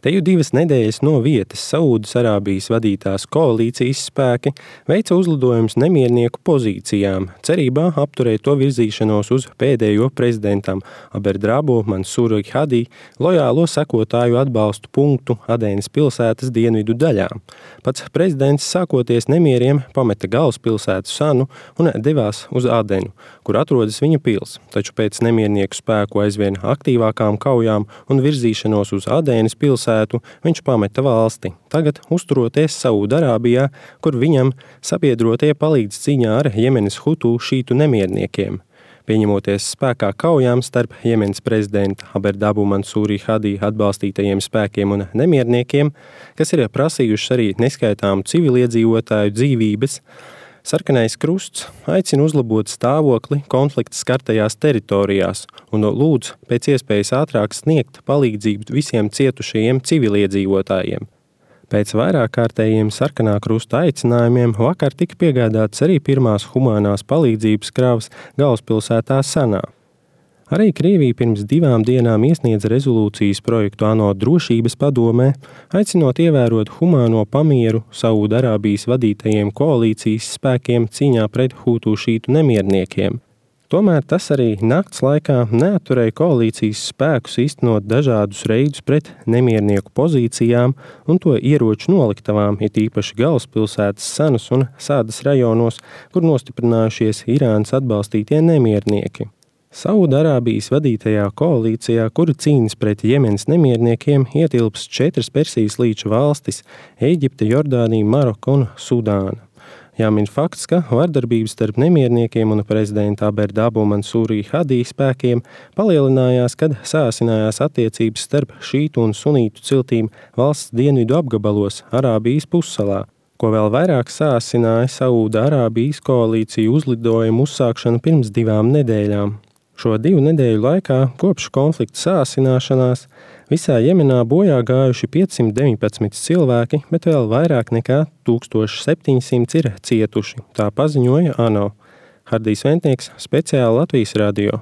Te jau 2 nedēļas no vietas Saūdas-Arābijas vadītās koalīcijas spēki veica uzlidojumus nemiernieku pozīcijām, cerībā apturēt to virzīšanos uz pēdējo prezidentam Abderrabo Mansūru Hadī lojālo sekotāju atbalstu punktu Adenas pilsētas dienvidu daļā. Pats prezidents sākoties nemieriem pameta galvaspilsētu Sanu un devās uz Adenu, kur atrodas viņa pils, taču pēc nemiernieku spēku aizvien aktīvākām kaujām un virzīšanos uz Adenas pilsētu viņš pameta valsti, tagad uzturoties Saūda-Arābijā, kur viņam sabiedrotie palīdz cīņā ar Jemenas hutu šītu nemierniekiem. Pieņemoties spēkā kaujām starp Jemenas prezidenta Abderrabo Mansūru Hadī atbalstītajiem spēkiem un nemierniekiem, kas ir prasījuši arī neskaitāmu civiliedzīvotāju dzīvības, Sarkanais krusts aicina uzlabot stāvokli konflikta skartajās teritorijās un lūdz pēc iespējas ātrāk sniegt palīdzību visiem cietušajiem civiliedzīvotājiem. Pēc vairāk kārtējiem Sarkanā krusta aicinājumiem vakar tika piegādāts arī pirmās humānās palīdzības kravas galvaspilsētā Sanā. Arī Krievija pirms 2 dienām iesniedza rezolūcijas projektu ANO drošības padomē, aicinot ievērot humāno pamieru Saūda-Arābijas vadītajiem koalīcijas spēkiem cīņā pret hutu šītu nemierniekiem. Tomēr tas arī nakts laikā neatturēja koalīcijas spēkus īstenot dažādus reidus pret nemiernieku pozīcijām un to ieroču noliktavām, it īpaši galvaspilsētas Sanas un Sādas rajonos, kur nostiprinājušies Irānas atbalstītie nemiernieki. Saūda-Arābijas vadītajā koalīcijā, kura cīnas pret Jemenas nemierniekiem, ietilps 4 Persijas līča valstis – Ēģipte, Jordānija, Maroka un Sudāna. Jāmin fakts, ka vardarbības starp nemierniekiem un prezidenta Abderrabo Mansūru Hadī spēkiem palielinājās, kad sāsinājās attiecības starp šītu un sunītu ciltīm valsts dienvidu apgabalos Arābijas pussalā, ko vēl vairāk sāsināja Saūda-Arābijas koalīciju uzlidojumu uzsākšana pirms 2 nedēļām. Šo 2 nedēļu laikā, kopš konflikta sāsināšanās, visā Jemenā bojā gājuši 519 cilvēki, bet vēl vairāk nekā 1700 ir cietuši, tā paziņoja ANO. Hardijs Ventnieks, speciāli Latvijas radio.